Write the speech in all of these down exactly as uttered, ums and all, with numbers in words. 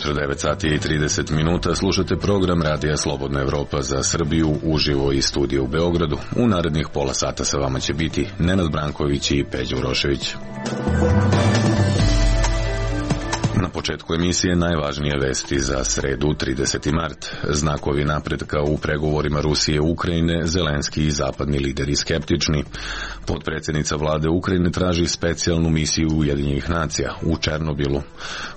ujutro, devet sati i trideset minuta, slušate program Radija Slobodna Evropa za Srbiju uživo iz studija u Beogradu. U narednih pola sata sa vama će biti Nenad Branković i Peđa Urošević. Na početku emisije najvažnije vesti za sredu trideseti mart. Znakovi napretka u pregovorima Rusije i Ukrajine, Zelenski i zapadni lideri skeptični. Potpredsjednica vlade Ukrajine traži specijalnu misiju Ujedinjenih nacija u Černobilu.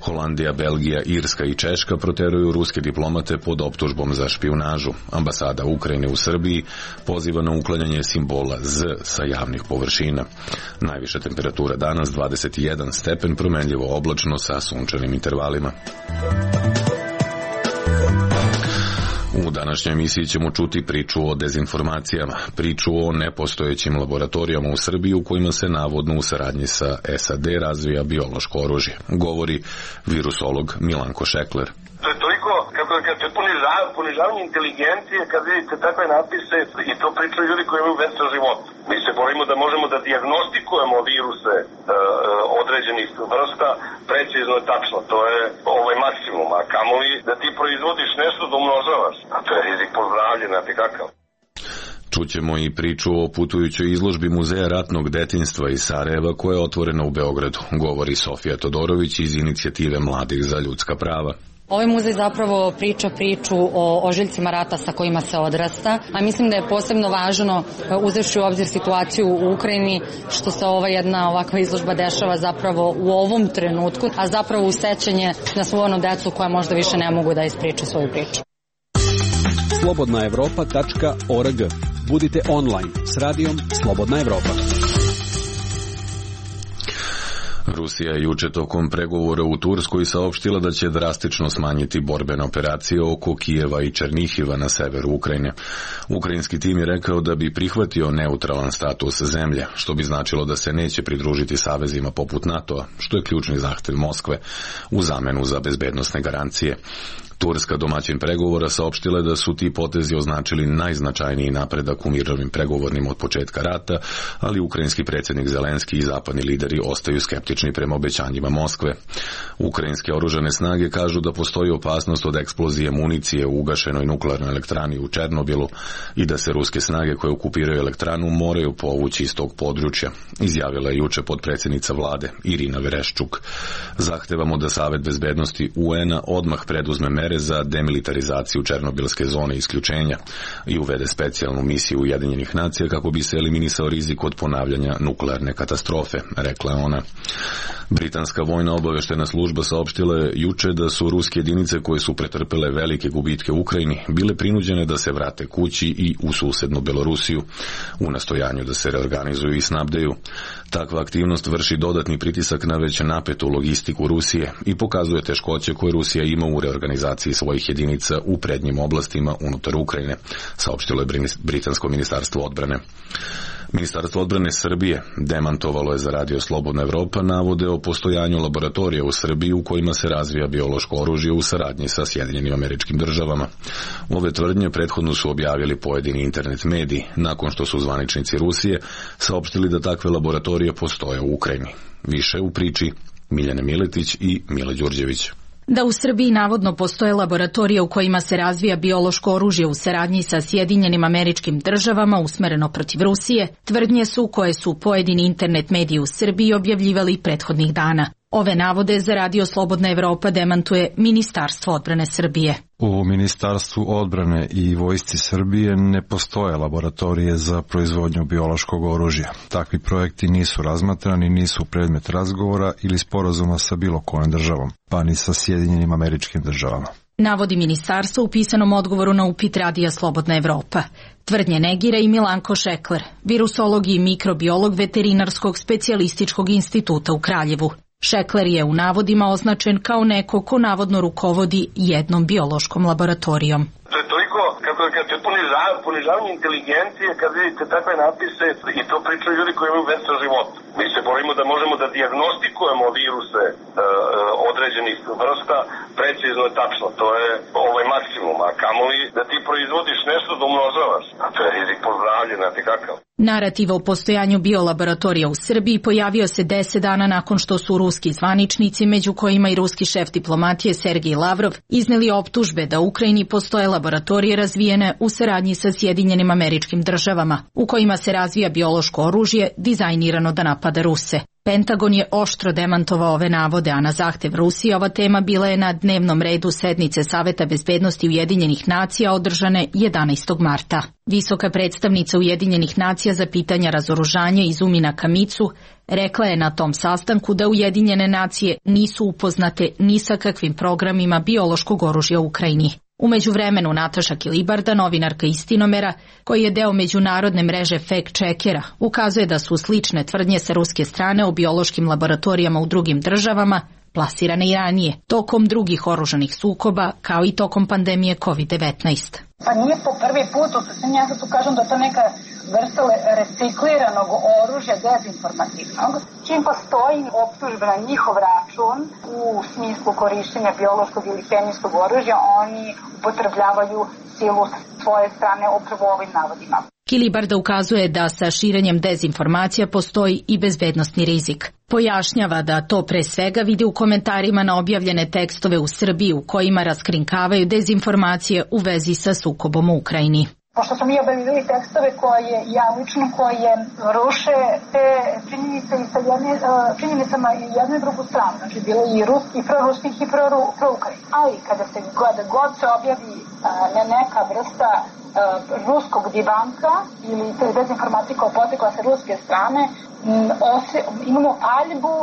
Holandija, Belgija, Irska i Češka proteruju ruske diplomate pod optužbom za špijunažu. Ambasada Ukrajine u Srbiji poziva na uklanjanje simbola Z sa javnih površina. Najviša temperatura danas dvadeset jedan stepen, promenljivo oblačno sa sunčanim intervalima. U današnjoj emisiji ćemo čuti priču o dezinformacijama, priču o nepostojećim laboratorijama u Srbiji u kojima se navodno u saradnji sa S A D razvija biološko oružje, govori virusolog Milanko Šekler. To je toliko, kako da kažete, ponižav, ponižavanje inteligencije kad vidite takve napise i to pričaju ljudi koji imaju vesel život. Mi se borimo da možemo da dijagnostikujemo viruse e, određenih vrsta precizno i tačno. To je ovaj maksimum, a kamoli da ti proizvodiš nešto da umnožavaš. A to je rizik po zdravlje, znate kakav. Čućemo i priču o putujućoj izložbi Muzeja ratnog detinjstva iz Sarajeva koja je otvorena u Beogradu, govori Sofija Todorović iz inicijative Mladih za ljudska prava. Ovaj muzej zapravo priča priču o ožiljcima rata sa kojima se odrasta, a mislim da je posebno važno, uzevši u obzir situaciju u Ukrajini, što se ova jedna ovakva izložba dešava zapravo u ovom trenutku, a zapravo u sećanje na svu onu decu koja možda više ne mogu da ispriča svoju priču. slobodna evropa tačka org. Budite online s radijom Slobodna Evropa. Rusija je juče tokom pregovora u Turskoj saopštila da će drastično smanjiti borbene operacije oko Kijeva i Černihiva na severu Ukrajine. Ukrajinski tim je rekao da bi prihvatio neutralan status zemlje, što bi značilo da se neće pridružiti savezima poput NATO-a, što je ključni zahtev Moskve u zamenu za bezbednosne garancije. Turska, domaćin pregovora, saopštila da su ti potezi označili najznačajniji napredak u mirovnim pregovorima od početka rata, ali ukrajinski predsjednik Zelenski i zapadni lideri ostaju skeptični prema obećanjima Moskve. Ukrajinske oružane snage kažu da postoji opasnost od eksplozije municije u ugašenoj nuklearnoj elektrani u Černobilu i da se ruske snage koje okupiraju elektranu moraju povući iz tog područja, izjavila je juče potpredsjednica vlade Irina Vereščuk. Zahtevamo da Savet bezbednosti U N-a odmah preduzme mere za demilitarizaciju Černobilske zone isključenja i uvede specijalnu misiju Ujedinjenih nacija kako bi se eliminisao rizik od ponavljanja nuklearne katastrofe, rekla je ona. Britanska vojna obaveštena služba saopštila je juče da su ruske jedinice koje su pretrpele velike gubitke u Ukrajini bile prinuđene da se vrate kući i u susednu Belorusiju u nastojanju da se reorganizuju i snabdeju. Takva aktivnost vrši dodatni pritisak na već napetu logistiku Rusije i pokazuje teškoće koje Rusija ima u reorganizaciji svojih jedinica u prednjim oblastima unutar Ukrajine, saopštilo je Britansko ministarstvo odbrane. Ministarstvo odbrane Srbije demantovalo je za Radio Slobodna Evropa navode o postojanju laboratorija u Srbiji u kojima se razvija biološko oružje u saradnji sa Sjedinjenim Američkim Državama. Ove tvrdnje prethodno su objavili pojedini internet mediji, nakon što su zvaničnici Rusije saopštili da takve laboratorije postoje u Ukrajini. Više u priči Miljane Miletić i Mile Đurđević. Da u Srbiji navodno postoje laboratorije u kojima se razvija biološko oružje u saradnji sa Sjedinjenim Američkim Državama usmereno protiv Rusije, tvrdnje su koje su pojedini internet mediji u Srbiji objavljivali prethodnih dana. Ove navode za Radio Slobodna Evropa demantuje Ministarstvo odbrane Srbije. U Ministarstvu odbrane i Vojsci Srbije ne postoje laboratorije za proizvodnju biološkog oružja. Takvi projekti nisu razmatrani, nisu predmet razgovora ili sporazuma sa bilo kojom državom, pa ni sa Sjedinjenim Američkim Državama. Navodi ministarstvo u pisanom odgovoru na upit Radija Slobodna Evropa. Tvrdnje negira i Milanko Šekler, virusolog i mikrobiolog Veterinarskog specijalističkog instituta u Kraljevu. Šekler je u navodima označen kao neko ko navodno rukovodi jednom biološkom laboratorijom. To je toliko, kako da kažete, ponižav, ponižavanje inteligencije kad vidite takve napise i to pričaju ljudi koji imaju vesel život. Mi se borimo da možemo da dijagnostikujemo viruse e, određenih vrsta precizno i tačno. To je ovaj maksimum, a kamoli da ti proizvodiš nešto da umnožavaš. A to je rizik po zdravlje, znate kakav. Narativ o postojanju biolaboratorija u Srbiji pojavio se deset dana nakon što su ruski zvaničnici, među kojima i ruski šef diplomatije Sergej Lavrov, izneli optužbe da u Ukrajini postoje laboratorije razvijene u saradnji sa Sjedinjenim Američkim Državama, u kojima se razvija biološko oružje dizajnirano da napada Ruse. Pentagon je oštro demantovao ove navode, a na zahtev Rusije ova tema bila je na dnevnom redu sednice Saveta bezbednosti Ujedinjenih nacija održane jedanaestog marta. Visoka predstavnica Ujedinjenih nacija za pitanja razoružanja Izumina Kamicu rekla je na tom sastanku da Ujedinjene nacije nisu upoznate ni sa kakvim programima biološkog oružja u Ukrajini. U međuvremenu Nataša Kilibarda, novinarka Istinomera, koji je deo međunarodne mreže fact-checkera, ukazuje da su slične tvrdnje sa ruske strane o biološkim laboratorijama u drugim državama plasirane i ranije, tokom drugih oružanih sukoba, kao i tokom pandemije kovid devetnaest. Pa nije po prvi put, u suštini ja sad tu kažem da je to neka vrsta recikliranog oružja dezinformativnog, čim postoji optužba na njihov račun u smislu korišćenja biološkog ili hemijskog oružja, oni upotrebljavaju silu svoje strane upravo ovim navodima. Kilibarda ukazuje da sa širenjem dezinformacija postoji i bezbednosni rizik. Pojašnjava da to pre svega vidi u komentarima na objavljene tekstove u Srbiji u kojima raskrinkavaju dezinformacije u vezi sa sukobom u Ukrajini. Pošto smo mi objavili tekstove koje ja lično koje ruše te činjenice i sa jedne, činjenicama i jednu i drugu stranu, znači bilo i ruskih, i proruskih i proukrajinskih. Ali kada se god, god se objavi ne neka vrsta ruskog divanka ili te dezinformacije koja potekla sa ruske strane, ose, imamo paljbu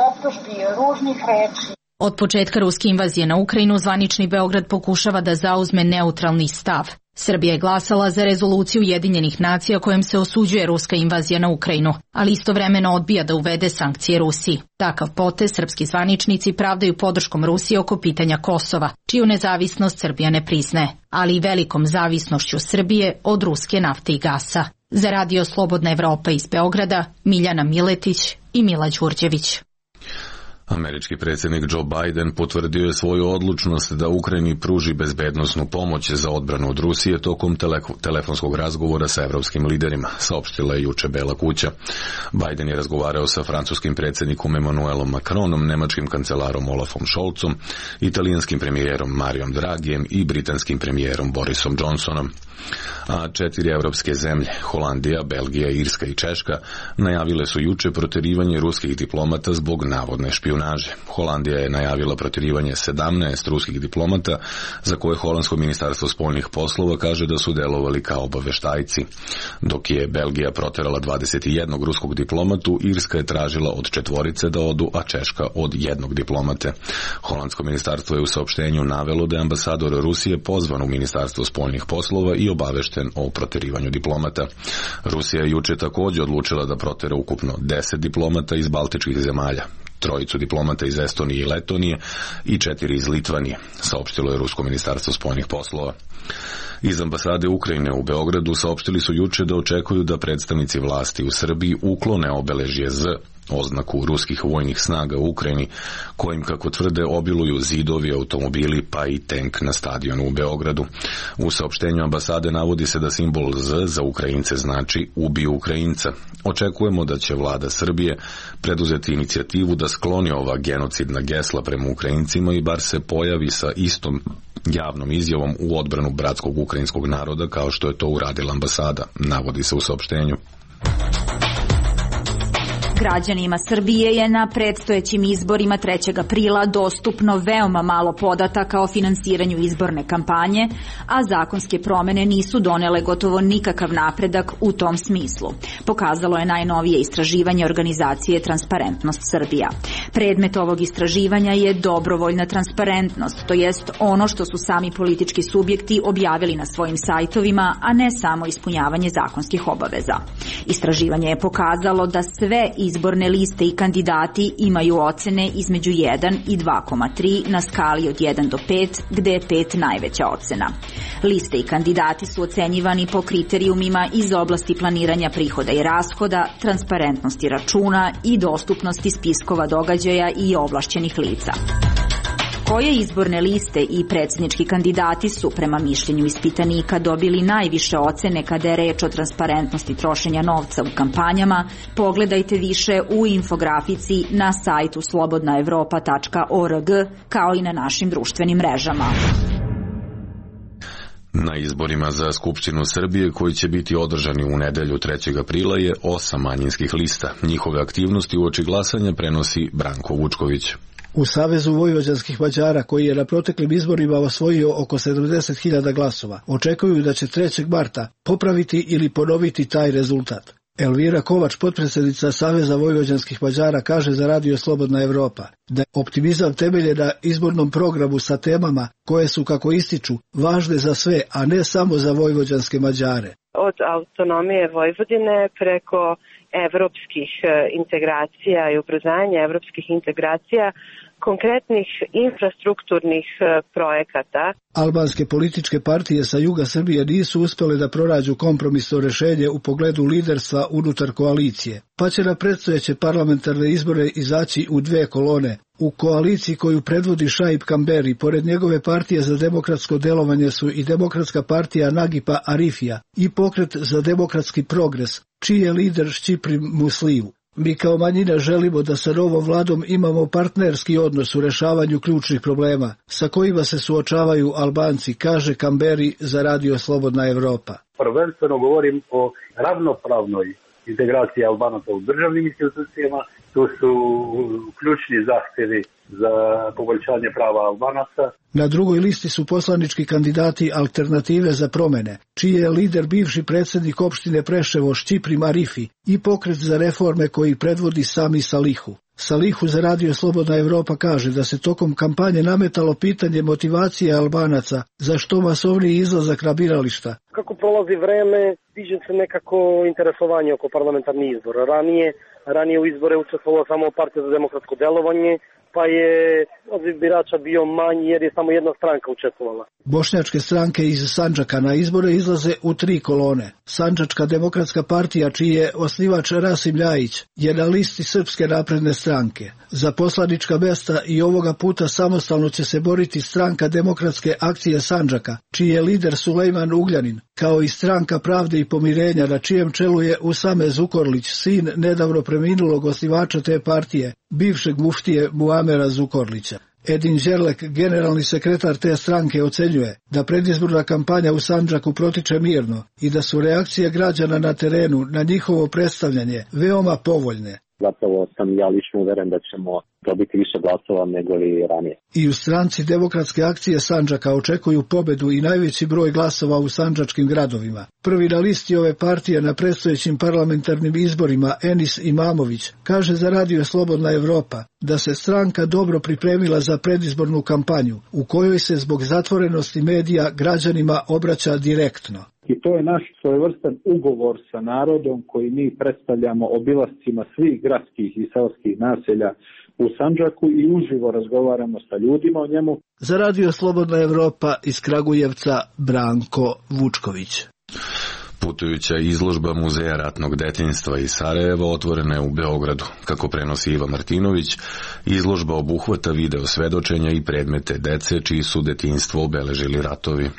optužbi, ružnih reči. Od početka ruske invazije na Ukrajinu zvanični Beograd pokušava da zauzme neutralni stav. Srbija je glasala za rezoluciju Ujedinjenih nacija kojom se osuđuje ruska invazija na Ukrajinu, ali istovremeno odbija da uvede sankcije Rusiji. Takav potez srpski zvaničnici pravdaju podrškom Rusije oko pitanja Kosova, čiju nezavisnost Srbija ne priznaje, ali i velikom zavisnošću Srbije od ruske nafte i gasa. Za Radio Slobodna Evropa iz Beograda, Miljana Miletić i Mila Đurđević. Američki predsjednik Joe Biden potvrdio je svoju odlučnost da Ukrajini pruži bezbednosnu pomoć za odbranu od Rusije tokom telefonskog razgovora sa evropskim liderima, saopštila je juče Bela kuća. Biden je razgovarao sa francuskim predsjednikom Emmanuelom Macronom, nemačkim kancelarom Olafom Scholzom, italijanskim premijerom Marijom Dragijem i britanskim premijerom Borisom Johnsonom. A četiri evropske zemlje, Holandija, Belgija, Irska i Češka, najavile su juče protjerivanje ruskih diplomata zbog navodne špijunaže. Holandija je najavila protjerivanje sedamnaest ruskih diplomata, za koje holandsko ministarstvo spoljnih poslova kaže da su delovali kao obaveštajci. Dok je Belgija proterala dvadeset jedan ruskog diplomatu, Irska je tražila od četvorice da odu, a Češka od jednog diplomate. Holandsko ministarstvo je u saopštenju navelo da je ambasador Rusije pozvan u ministarstvo spoljnih poslova i obavešten o proterivanju diplomata. Rusija je juče također odlučila da protera ukupno deset diplomata iz baltičkih zemalja, trojicu diplomata iz Estonije i Letonije i četiri iz Litvanije, saopštilo je Rusko ministarstvo spoljnih poslova. Iz ambasade Ukrajine u Beogradu saopštili su juče da očekuju da predstavnici vlasti u Srbiji uklone obeležje Z, oznaku ruskih vojnih snaga u Ukrajini, kojim, kako tvrde, obiluju zidovi, automobili pa i tank na stadionu u Beogradu. U saopštenju ambasade navodi se da simbol Z za Ukrajince znači ubij Ukrajinca. Očekujemo da će vlada Srbije preduzeti inicijativu da skloni ova genocidna gesla prema Ukrajincima i bar se pojavi sa istom javnom izjavom u odbranu bratskog ukrajinskog naroda kao što je to uradila ambasada, navodi se u saopštenju. Građanima Srbije je na predstojećim izborima trećeg aprila dostupno veoma malo podataka o finansiranju izborne kampanje, a zakonske promene nisu donele gotovo nikakav napredak u tom smislu. Pokazalo je najnovije istraživanje organizacije Transparentnost Srbija. Predmet ovog istraživanja je dobrovoljna transparentnost, to jest ono što su sami politički subjekti objavili na svojim sajtovima, a ne samo ispunjavanje zakonskih obaveza. Istraživanje je pokazalo da sve izborne liste i kandidati imaju ocene između jedan i dva zarez tri na skali od jedan do pet, gde je pet najveća ocena. Liste i kandidati su ocenjivani po kriterijumima iz oblasti planiranja prihoda i rashoda, transparentnosti računa i dostupnosti spiskova događaja i ovlašćenih lica. Koje izborne liste i predsjednički kandidati su prema mišljenju ispitanika dobili najviše ocene kada je reč o transparentnosti trošenja novca u kampanjama, pogledajte više u infografici na sajtu slobodna evropa tačka org kao i na našim društvenim mrežama. Na izborima za Skupštinu Srbije koji će biti održani u nedelju trećeg aprila je osam manjinskih lista. Njihove aktivnosti uoči glasanja prenosi Branko Vučković. U Savezu vojvođanskih Mađara, koji je na proteklim izborima osvojio oko sedamdeset hiljada glasova, očekuju da će trećeg marta popraviti ili ponoviti taj rezultat. Elvira Kovač, potpredsjednica Saveza vojvođanskih Mađara, kaže za Radio Slobodna Evropa da je optimizam temeljen na izbornom programu sa temama koje su, kako ističu, važne za sve, a ne samo za vojvođanske Mađare. Od autonomije Vojvodine preko evropskih integracija i ubrzanja evropskih integracija, konkretnih infrastrukturnih projekata. Albanske političke partije sa juga Srbije nisu uspjele da pronađu kompromisno rešenje u pogledu liderstva unutar koalicije, pa će na predstojeće parlamentarne izbore izaći u dve kolone. U koaliciji koju predvodi Šaip Kamberi, pored njegove partije za demokratsko delovanje su i Demokratska partija Nagipa Arifija i Pokret za demokratski progres, čiji je lider Šćiprim Musliju. Mi kao manjina želimo da sa novom vladom imamo partnerski odnos u rešavanju ključnih problema sa kojima se suočavaju Albanci, kaže Kamberi za Radio Slobodna Evropa. Prvenstveno govorim o ravnopravnoj integraciji Albanaca u državnim institucijama. Tu su ključni zahtjevi za poboljšanje prava Albanaca. Na drugoj listi su poslanički kandidati Alternative za promene, čiji je lider bivši predsjednik opštine Preševo Šćiprim Arifi i Pokret za reforme koji predvodi Sami Salihu. Salihu za Radio Slobodna Evropa kaže da se tokom kampanje nametalo pitanje motivacije Albanaca za što masovniji izlazak na birališta. Kako prolazi vreme, diže se nekako interesovanje oko parlamentarnih izbora. Ranije, ranije u izbore učestvovala samo Partija za demokratsko delovanje, pa je odziv birača bio manji jer je samo jedna stranka učestvovala. Bošnjačke stranke iz Sandžaka na izbore izlaze u tri kolone. Sandžačka demokratska partija, čiji je osnivač Rasim Ljajić, je na listi Srpske napredne stranke. Za poslanička mesta i ovoga puta samostalno će se boriti Stranka demokratske akcije Sandžaka, čiji je lider Sulejman Ugljanin, kao i Stranka pravde i pomirenja, na čijem čelu je Usame Zukorlić, sin nedavno preminulog osnivača te partije, bivšeg muftije Muamera Zukorlića. Edin Đerlek, generalni sekretar te stranke, ocenjuje da predizborna kampanja u Sandžaku protiče mirno i da su reakcije građana na terenu na njihovo predstavljanje veoma povoljne. Zapravo sam ja lično uveren da ćemo dobiti više glasova nego li ranije. I u Stranci demokratske akcije Sandžaka očekuju pobedu i najveći broj glasova u sandžačkim gradovima. Prvi na listi ove partije na predstojećim parlamentarnim izborima, Enis Imamović, kaže za Radio Slobodna Evropa da se stranka dobro pripremila za predizbornu kampanju, u kojoj se zbog zatvorenosti medija građanima obraća direktno. I to je naš svojevrstan ugovor sa narodom koji mi predstavljamo obilascima svih gradskih i seoskih naselja u Sandžaku i uživo razgovaramo sa ljudima o njemu. Za Radio Slobodna Evropa iz Kragujevca, Branko Vučković. Putujuća izložba Muzeja ratnog detinjstva iz Sarajeva otvorena je u Beogradu. Kako prenosi Iva Martinović, izložba obuhvata video svedočenja i predmete dece čiji su detinjstvo obeležili ratovi.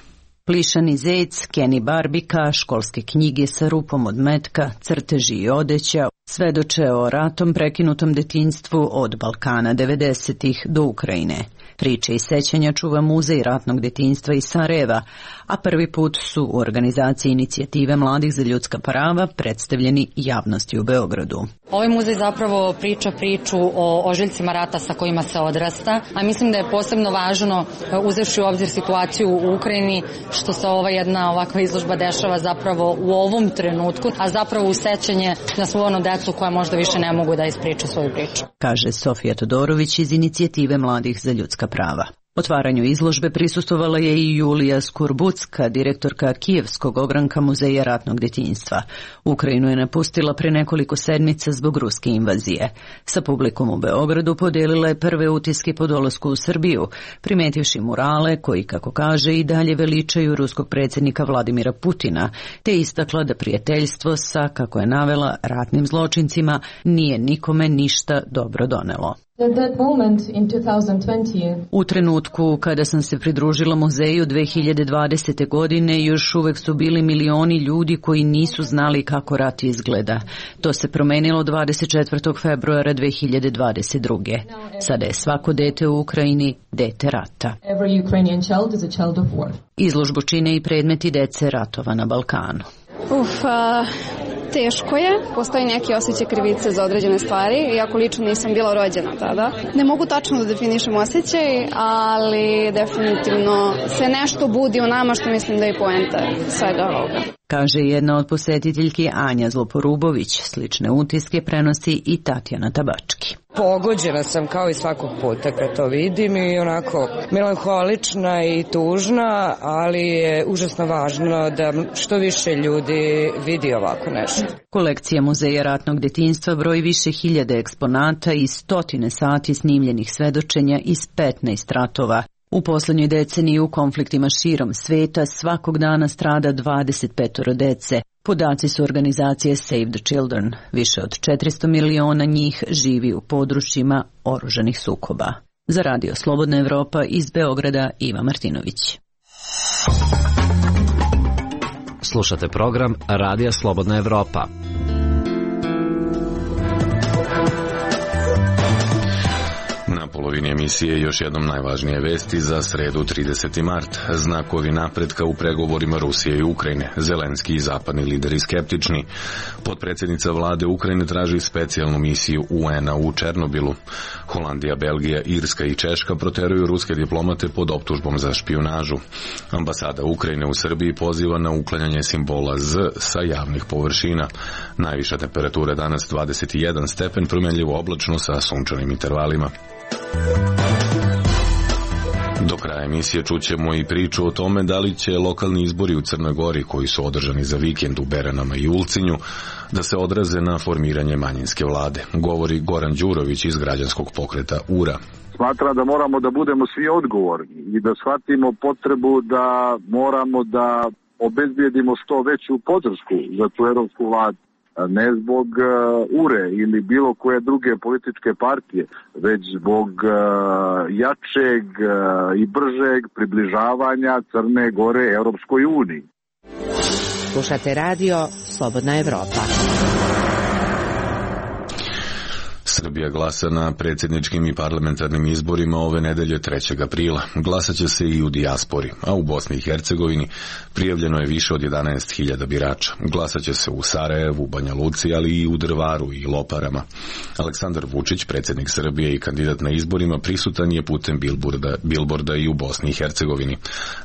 Plišani zec, Kenny Barbika, školske knjige sa rupom od metka, crteži i odeća, svedoče o ratom prekinutom detinjstvu od Balkana devedesetih do Ukrajine. Priče i sećanja čuva Muzej ratnog detinjstva iz Sarajeva, a prvi put su u organizaciji Inicijative mladih za ljudska prava predstavljeni javnosti u Beogradu. Ovaj muzej zapravo priča priču o ožiljcima rata sa kojima se odrasta, a mislim da je posebno važno, uzevši u obzir situaciju u Ukrajini, što se ova jedna ovakva izložba dešava zapravo u ovom trenutku, a zapravo u sećanje na svu onu decu koja možda više ne mogu da ispriču svoju priču. Kaže Sofija Todorović iz Inicijative mladih za ljudska prava. Otvaranju izložbe prisustvovala je i Julija Skurbucka, direktorka Kijevskog ogranka Muzeja ratnog djetinjstva. Ukrajinu je napustila pre nekoliko sedmica zbog ruske invazije. Sa publikom u Beogradu podijelila je prve utiske po dolasku u Srbiju, primetivši murale koji, kako kaže, i dalje veličaju ruskog predsjednika Vladimira Putina, te istakla da prijateljstvo sa, kako je navela, ratnim zločincima nije nikome ništa dobro donelo. U trenutku kada sam se pridružila muzeju dve hiljade dvadesete. godine još uvek su bili milioni ljudi koji nisu znali kako rat izgleda. To se promenilo dvadeset četvrtog februara dve hiljade dvadeset druge. Sada je svako dete u Ukrajini dete rata. Izložbu čine i predmeti dece ratova na Balkanu. Uf, a, teško je, postoji neki osjećaj krivice za određene stvari, iako lično nisam bila rođena tada. Ne mogu tačno da definišem osjećaj, ali definitivno se nešto budi u nama, što mislim da je poenta svega ovoga. Kaže jedna od posjetiteljki Anja Zloporubović. Slične utiske prenosi i Tatjana Tabački. Pogođena sam kao i svakog puta kad to vidim i onako melanholična i tužna, ali je užasno važno da što više ljudi vidi ovako nešto. Kolekcija Muzeja ratnog djetinjstva broji više hiljade eksponata i stotine sati snimljenih svedočenja iz petnaest ratova. U posljednjoj deceniji u konfliktima širom sveta svakog dana strada dvadeset pet dece. Podaci su organizacije Save the Children. Više od četiristo miliona njih živi u područjima oružanih sukoba. Za Radio Slobodna Evropa iz Beograda Iva Martinović. Slušate program Radija Slobodna Evropa. Na polovini emisije još jednom najvažnije vesti za sredu trideseti mart. Znakovi napretka u pregovorima Rusije i Ukrajine. Zelenski i zapadni lideri skeptični. Potpredsjednica vlade Ukrajine traži specijalnu misiju U N-a u Černobilu. Holandija, Belgija, Irska i Češka proteruju ruske diplomate pod optužbom za špijunažu. Ambasada Ukrajine u Srbiji poziva na uklanjanje simbola Z sa javnih površina. Najviša temperatura danas dvadeset jedan stepen, promjenljivo oblačno sa sunčanim intervalima. Do kraja emisije čućemo i priču o tome da li će lokalni izbori u Crnoj Gori, koji su održani za vikend u Beranama i Ulcinju, da se odraze na formiranje manjinske vlade. Govori Goran Đurović iz građanskog pokreta U R A. Smatram da moramo da budemo svi odgovorni i da shvatimo potrebu da moramo da obezbijedimo što veću podršku za tu evropsku vladu. Ne zbog uh, U R E ili bilo koje druge političke partije, već zbog uh, jačeg uh, i bržeg približavanja Crne Gore Europskoj uniji. Slušate radio Slobodna Evropa. Srbija glasa na predsjedničkim i parlamentarnim izborima ove nedelje trećeg aprila. Glasat će se i u dijaspori, a u Bosni i Hercegovini prijavljeno je više od jedanaest hiljada birača. Glasat će se u Sarajevu, Banja Luci, ali i u Drvaru i Loparama. Aleksandar Vučić, predsjednik Srbije i kandidat na izborima, prisutan je putem bilborda, bilborda i u Bosni i Hercegovini.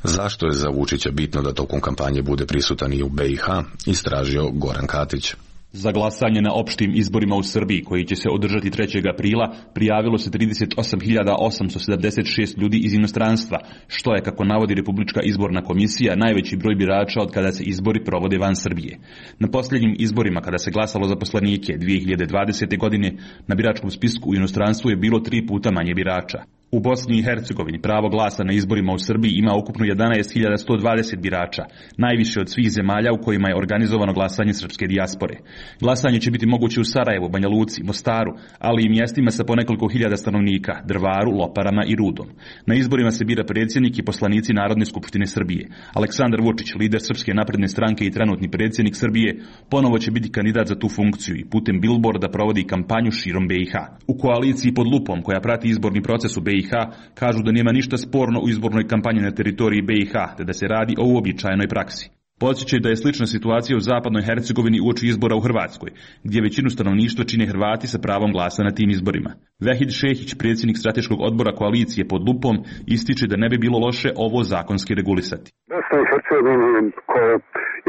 Zašto je za Vučića bitno da tokom kampanje bude prisutan i u B i H, istražio Goran Katić. Za glasanje na opštim izborima u Srbiji, koji će se održati trećeg aprila, prijavilo se trideset osam hiljada osamsto sedamdeset šest ljudi iz inostranstva, što je, kako navodi Republička izborna komisija, najveći broj birača od kada se izbori provode van Srbije. Na posljednjim izborima, kada se glasalo za poslanike dve hiljade dvadesete. godine, na biračkom spisku u inostranstvu je bilo tri puta manje birača. U Bosni i Hercegovini pravo glasa na izborima u Srbiji ima ukupno jedanaest hiljada sto dvadeset birača, najviše od svih zemalja u kojima je organizovano glasanje srpske dijaspore. Glasanje će biti moguće u Sarajevu, Banja Luci, Mostaru, ali i mjestima sa po nekoliko hiljada stanovnika, Drvaru, Loparama i Rudom. Na izborima se bira predsjednik i poslanici Narodne skupštine Srbije. Aleksandar Vučić, lider Srpske napredne stranke i trenutni predsjednik Srbije, ponovo će biti kandidat za tu funkciju i putem bilborda provodi kampanju širom B i H. U koaliciji pod lupom, koja prati izborni proces u B i H, kažu da nema ništa sporno u izbornoj kampanji na teritoriji B i H, te da se radi o uobičajenoj praksi. Podsjećaju da je slična situacija u zapadnoj Hercegovini uoči izbora u Hrvatskoj, gdje većinu stanovništva čine Hrvati sa pravom glasa na tim izborima. Vehid Šehić, predsjednik strateškog odbora koalicije pod lupom, ističe da ne bi bilo loše ovo zakonski regulisati. Bosna i Hercegovina, koja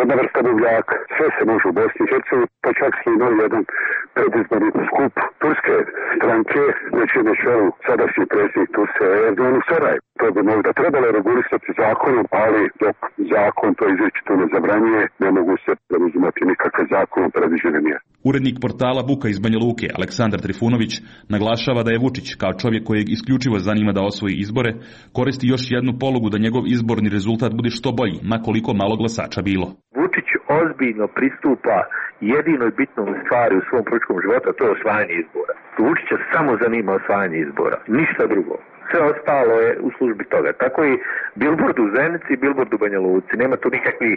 jedna vrsta buvljaka. Sve se može u Bosni i Hercegovini, pa čak se imao jedan predizborni skup turske stranke, znači na čelu sadašnji predsjednik Turske Erdogan u Sarajevu. To bi možda trebalo regulisati zakonom, ali dok zakon to izričito ne zabranjuje, ne mogu se preuzimati nikakve zakonom predviđene mjere. Urednik portala Buka iz Banja Luke, Aleksandar Trifunović, naglašava da je Vučić, kao čovjek kojeg isključivo zanima da osvoji izbore, koristi još jednu polugu da njegov izborni rezultat bude što bolji, ma koliko malo glasača bilo. Vučić ozbiljno pristupa jedinoj bitnoj stvari u svom političkom životu, a to je osvajanje izbora. Vučića samo zanima osvajanje izbora, ništa drugo. Sve ostalo je u službi toga. Tako i bilbord u Zenici i bilbord u Banja Luci. Nema tu nikakvih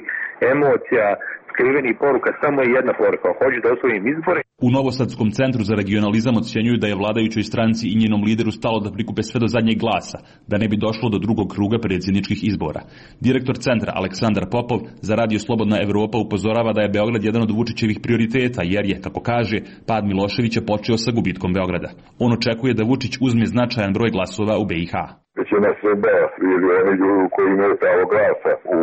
emocija, skrivenih poruka, samo je jedna poruka. Hoće da osvojim izbore. U Novosadskom centru za regionalizam ocjenjuju da je vladajućoj stranci i njenom lideru stalo da prikupe sve do zadnjeg glasa, da ne bi došlo do drugog kruga predsjedničkih izbora. Direktor centra Aleksandar Popov za Radio Slobodna Evropa upozorava da je Beograd jedan od Vučićevih prioriteta, jer je, kako kaže, pad Miloševića počeo sa gubitkom Beograda. On očekuje da Vučić uzme značajan broj glasova u B i H. Većina Srba ili oni ljudi koji imaju pravo glasa u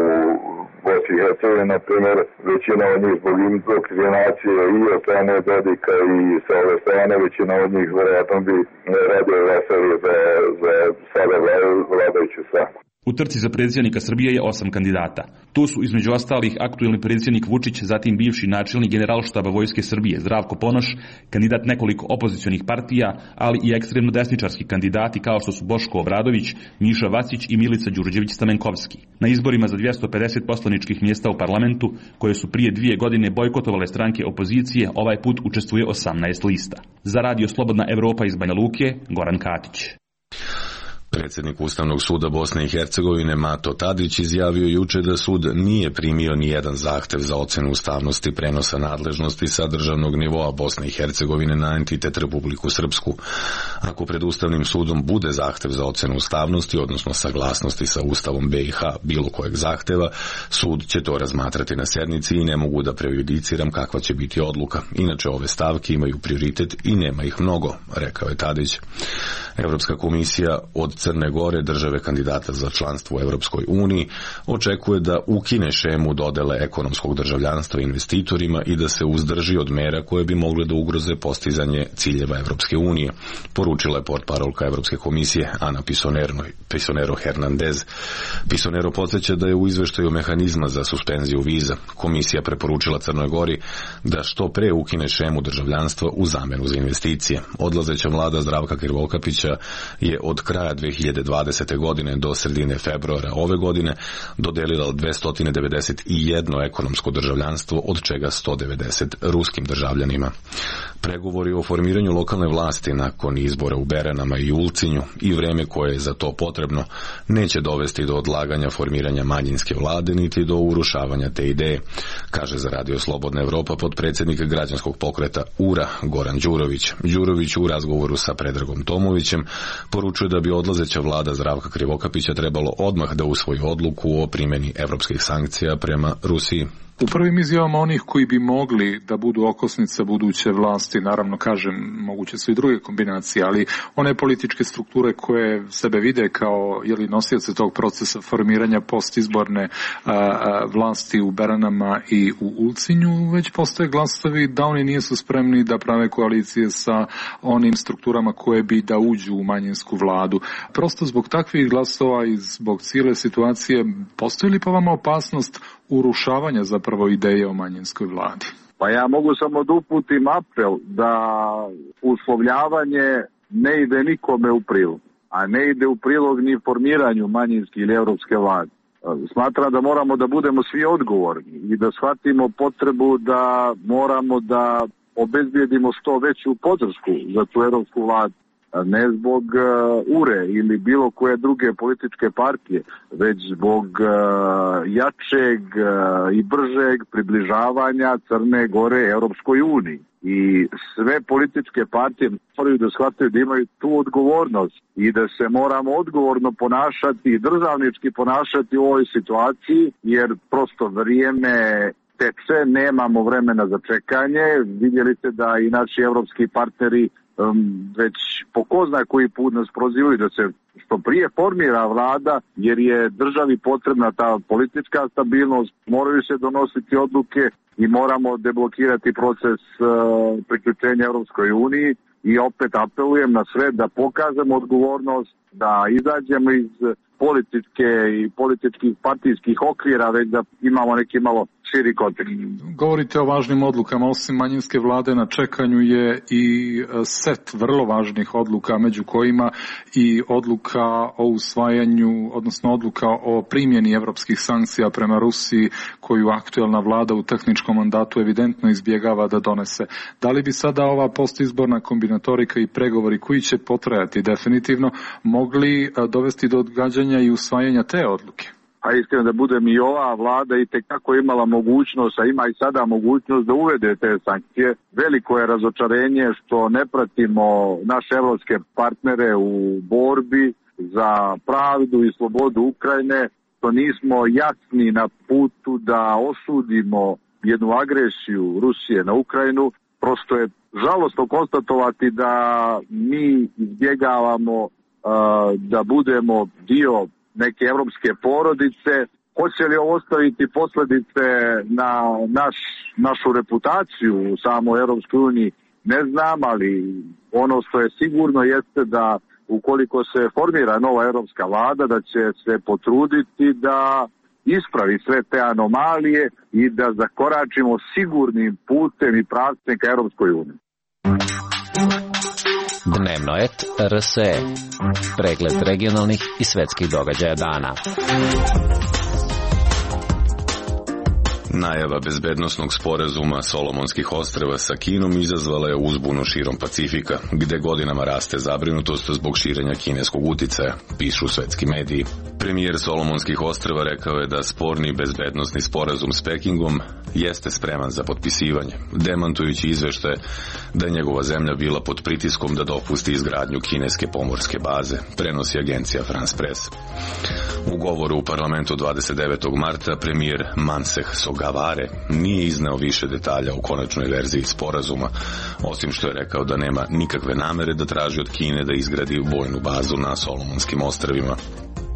Bosni i Hercegovini, na primjer, većina od njih zbog indoktrinacije i od strane Dodika i sa ove strane, većina od njih vjerojatno bi radio glasali za, za sada vladajuću stranku. U trci za predsjednika Srbije je osam kandidata. Tu su između ostalih aktuelni predsjednik Vučić, zatim bivši načelnik Generalštaba Vojske Srbije Zdravko Ponoš, kandidat nekoliko opozicionih partija, ali i ekstremno desničarski kandidati kao što su Boško Obradović, Miša Vacić i Milica Đurđević-Stamenkovski. Na izborima za dvjesto pedeset poslaničkih mjesta u parlamentu, koje su prije dvije godine bojkotovale stranke opozicije, ovaj put učestvuje osamnaest lista. Za Radio Slobodna Evropa iz Banja Luke, Goran Katić. Predsjednik Ustavnog suda Bosne i Hercegovine Mato Tadić izjavio juče da sud nije primio ni jedan zahtev za ocenu ustavnosti prenosa nadležnosti sa državnog nivoa Bosne i Hercegovine na entitet Republiku Srpsku. Ako pred Ustavnim sudom bude zahtev za ocenu ustavnosti, odnosno saglasnosti sa Ustavom B i H bilo kojeg zahteva, sud će to razmatrati na sjednici i ne mogu da prejudiciram kakva će biti odluka. Inače, ove stavke imaju prioritet i nema ih mnogo, rekao je Tadić. Evropska komisija od Crne Gore, države kandidata za članstvo u Europskoj uniji, očekuje da ukine šemu dodele ekonomskog državljanstva investitorima i da se uzdrži od mera koje bi mogle da ugroze postizanje ciljeva Europske unije, poručila je portparolka Evropske komisije Ana Pisonero, Pisonero Hernandez. Pisonero podsjeća da je u izveštaju mehanizma za suspenziju viza komisija preporučila Crnoj Gori da što pre ukine šemu državljanstva u zamenu za investicije. Odlazeća vlada Zdravka Krivokapića je od kraja dve hiljade dvadesete. godine do sredine februara ove godine dodelila dvesta devedeset jedno ekonomsko državljanstvo, od čega sto devedeset ruskim državljanima. Pregovori o formiranju lokalne vlasti nakon izbora u Beranama i Ulcinju i vreme koje je za to potrebno neće dovesti do odlaganja formiranja manjinske vlade niti do urušavanja te ideje, kaže za Radio Slobodna Evropa potpredsjednik građanskog pokreta U R A Goran Đurović. Đurović u razgovoru sa Predragom Tomovićem poručuje da bi odlazeća vlada Zdravka Krivokapića trebalo odmah da usvoji odluku o primjeni evropskih sankcija prema Rusiji. U prvim izjavama onih koji bi mogli da budu okosnica buduće vlasti, naravno kažem, moguće su i druge kombinacije, ali one političke strukture koje sebe vide kao jeli, nosioce tog procesa formiranja postizborne a, a, vlasti u Beranama i u Ulcinju, već postoje glasovi da oni nisu spremni da prave koalicije sa onim strukturama koje bi da uđu u manjinsku vladu. Prosto zbog takvih glasova i zbog cijele situacije, postoji li po vama opasnost urušavanja zapravo ideje o manjinskoj vladi? Pa ja mogu samo da uputim apel da uslovljavanje ne ide nikome u prilog, a ne ide u prilog ni formiranju manjinske ili evropske vlade. Smatram da moramo da budemo svi odgovorni i da shvatimo potrebu da moramo da obezbijedimo što veću podršku za tu evropsku vladu. Ne zbog uh, U R E ili bilo koje druge političke partije, već zbog uh, jačeg uh, i bržeg približavanja Crne Gore Europskoj uniji. I sve političke partije moraju da shvataju da imaju tu odgovornost i da se moramo odgovorno ponašati i državnički ponašati u ovoj situaciji, jer prosto vrijeme teče, nemamo vremena za čekanje. Vidjeli ste da i naši evropski partneri um, već po ko zna koji put nas prozivaju da se što prije formira vlada, jer je državi potrebna ta politička stabilnost, moraju se donositi odluke i moramo deblokirati proces uh, priključenja Europskoj uniji. I opet apelujem na sve da pokažemo odgovornost, da izađemo iz političke i političkih partijskih okvira, već da imamo neki malo širi kontekst. Govorite o važnim odlukama, osim manjinske vlade na čekanju je i set vrlo važnih odluka, među kojima i odluka o usvajanju, odnosno odluka o primjeni evropskih sankcija prema Rusiji, koju aktuelna vlada u tehničkom mandatu evidentno izbjegava da donese. Da li bi sada ova postizborna kombinatorika i pregovori koji će potrajati definitivno mogli dovesti do odgađanja i usvajanja te odluke? A iskreno da budem, i ova vlada i tekako imala mogućnost, a ima i sada mogućnost da uvede te sankcije. Veliko je razočarenje što ne pratimo naše evropske partnere u borbi za pravdu i slobodu Ukrajine, što nismo jasni na putu da osudimo jednu agresiju Rusije na Ukrajinu. Prosto je žalostno konstatovati da mi izbjegavamo uh, da budemo dio neke evropske porodice. Hoće li ovo ostaviti posljedice na naš, našu reputaciju u samoj Europskoj uniji, ne znam, ali ono što je sigurno jeste da ukoliko se formira nova europska vlada, da će se potruditi da ispravi sve te anomalije i da zakoračimo sigurnim putem i pravcem ka Europskoj uniji. Dnevno et R S E. Pregled regionalnih i svetskih događaja dana. Najava bezbednosnog sporazuma Solomonskih ostrva sa Kinom izazvala je uzbunu širom Pacifika, gde godinama raste zabrinutost zbog širenja kineskog uticaja, pišu svetski mediji. Premijer Solomonskih ostrva rekao je da sporni bezbednosni sporazum s Pekingom jeste spreman za potpisivanje, demantujući izveštaje da je njegova zemlja bila pod pritiskom da dopusti izgradnju kineske pomorske baze, prenosi agencija France Press. U govoru u parlamentu dvadeset devetog marta premijer Manseh Sogavare nije izneo više detalja o konačnoj verziji sporazuma, osim što je rekao da nema nikakve namere da traži od Kine da izgradi vojnu bazu na Solomonskim ostrvima.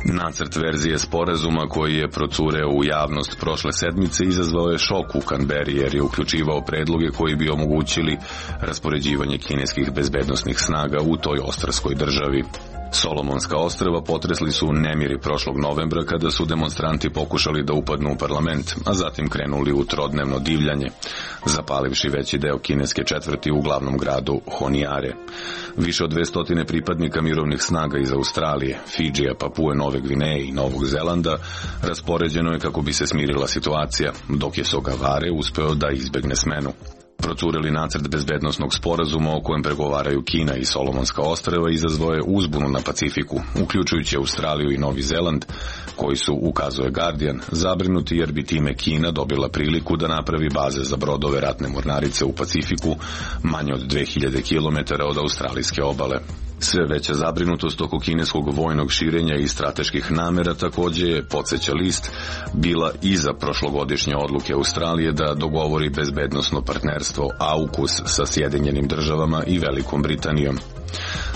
Nacrt verzije sporazuma koji je procureo u javnost prošle sedmice izazvao je šok u Kanberi jer je uključivao predloge koji bi omogućili raspoređivanje kineskih bezbednosnih snaga u toj ostrvskoj državi. Solomonska ostrva potresli su nemiri prošlog novembra kada su demonstranti pokušali da upadnu u parlament, a zatim krenuli u trodnevno divljanje, zapalivši veći deo kineske četvrti u glavnom gradu Honiare. Više od dvesta pripadnika mirovnih snaga iz Australije, Fidžija, Papue, Nove Gvineje i Novog Zelanda raspoređeno je kako bi se smirila situacija, dok je Sogavare uspeo da izbegne smenu. Procureli nacrt bezbednosnog sporazuma o kojem pregovaraju Kina i Solomonska ostrva izazvao je uzbunu na Pacifiku, uključujući Australiju i Novi Zeland, koji su, ukazuje Guardian, zabrinuti jer bi time Kina dobila priliku da napravi baze za brodove ratne mornarice u Pacifiku manje od dve hiljade kilometara od australijske obale. Sve veća zabrinutost oko kineskog vojnog širenja i strateških namera također je, podsjeća list, bila iza prošlogodišnje odluke Australije da dogovori bezbednosno partnerstvo AUKUS sa Sjedinjenim državama i Velikom Britanijom.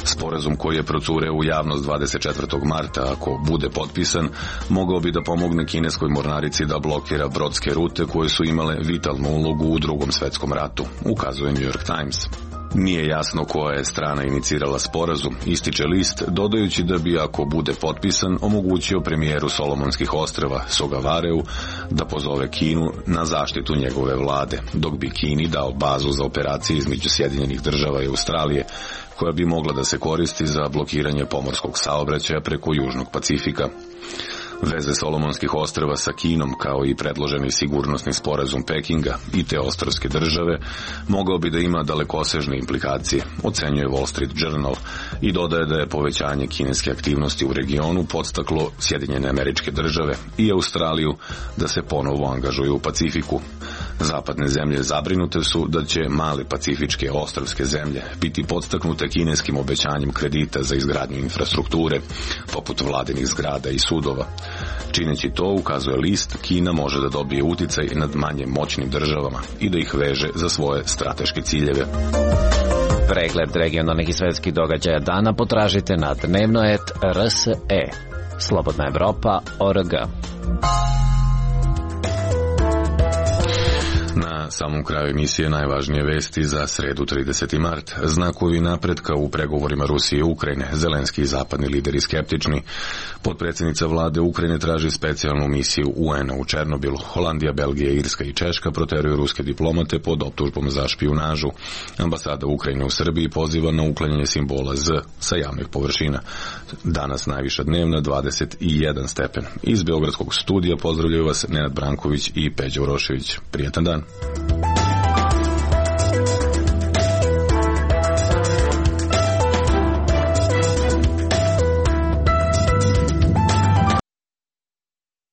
Sporazum koji je procureo u javnost dvadeset četvrtog marta, ako bude potpisan, mogao bi da pomogne kineskoj mornarici da blokira brodske rute koje su imale vitalnu ulogu u Drugom svetskom ratu, ukazuje New York Times. Nije jasno koja je strana inicirala sporazum, ističe list, dodajući da bi, ako bude potpisan, omogućio premijeru Solomonskih ostrva Sogavareu da pozove Kinu na zaštitu njegove vlade, dok bi Kini dao bazu za operacije između Sjedinjenih država i Australije, koja bi mogla da se koristi za blokiranje pomorskog saobraćaja preko Južnog Pacifika. Veze Solomonskih ostrva sa Kinom, kao i predloženi sigurnosni sporazum Pekinga i te ostrvske države, mogao bi da ima dalekosežne implikacije, ocenjuje Wall Street Journal, i dodaje da je povećanje kineske aktivnosti u regionu podstaklo Sjedinjene Američke Države i Australiju da se ponovo angažuju u Pacifiku. Zapadne zemlje zabrinute su da će male pacifičke ostrvske zemlje biti podstaknute kineskim obećanjem kredita za izgradnju infrastrukture, poput vladinih zgrada i sudova. Čineći to, ukazuje list, Kina može da dobije uticaj nad manje moćnim državama i da ih veže za svoje strateške ciljeve. Pregled regionalnih i svetskih događaja dana potražite na dnevno et er es e. Slobodna Evropa tačka org. Na samom kraju emisije najvažnije vesti za sredu trideseti mart. Znakovi napretka u pregovorima Rusije i Ukrajine. Zelenski i zapadni lideri skeptični. Potpredsjednica vlade Ukrajine traži specijalnu misiju U en a u Černobilu. Holandija, Belgija, Irska i Češka proteruju ruske diplomate pod optužbom za špijunažu. Ambasada Ukrajine u Srbiji poziva na uklanjanje simbola Z sa javnih površina. Danas najviša dnevna dvadeset jedan stepen. Iz Beogradskog studija pozdravljaju vas Nenad Branković i Peđa Urošević. Prijetan dan.